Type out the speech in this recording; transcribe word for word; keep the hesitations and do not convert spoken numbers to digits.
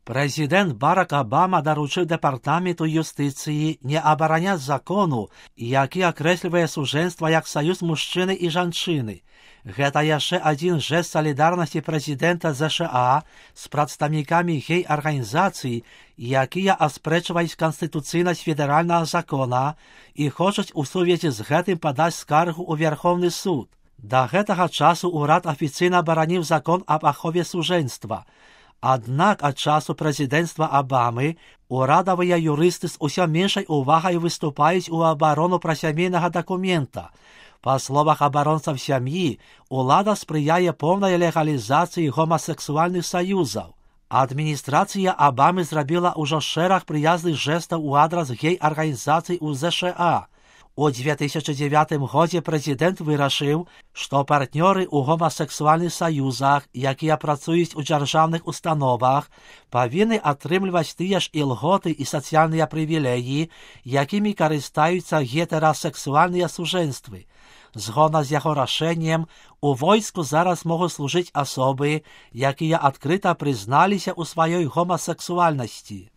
Прэзідэнт Барак Абама даручыў дэпартаменту юстыцыі не абараняць закону, які акрэслівае сужэнства як саюз мужчыны і жанчыны. Гэта яшчэ адзін жэст салідарнасці прэзідэнта ЗША з прадстаўнікамі гей-арганізацый, якія аспрэчваюць канстытуцыйнасць федэральнага закона і хочуць у сувязі з гэтым падаць скаргу ў Верховны суд. Да гэтага часу ўрад афіцыйна абараніў закон аб ахове сужэнства. Аднак ад часу прэзідэнцтва Абамы урадавыя юрысты з усё меншай увагай выступаюць у абарону прасямейнага дакумента. Па словах абаронцаў сям'і, улада спрыяе поўнай легалізацыі гомасексуальных саюзаў. Адміністрацыя Абамы зрабіла ўжо шэраг прыязных жэстаў у адрас гей-арганізацый у ЗША. У дзве тысячы дзевятым годзе прэзідэнт вырашыў, што партнёры ў гомасексуальных саюзах, якія працуюць у дзяржаўных установах, павінны атрымліваць тыя ж ілготы і сацыяльныя прывілеі, якімі карыстаюцца гетэрасексуальныя сужэнствы. Згодна з яго рашэннем, у войску зараз могуць служыць асобы, якія адкрыта прызналіся ў сваёй гомасексуальнасці.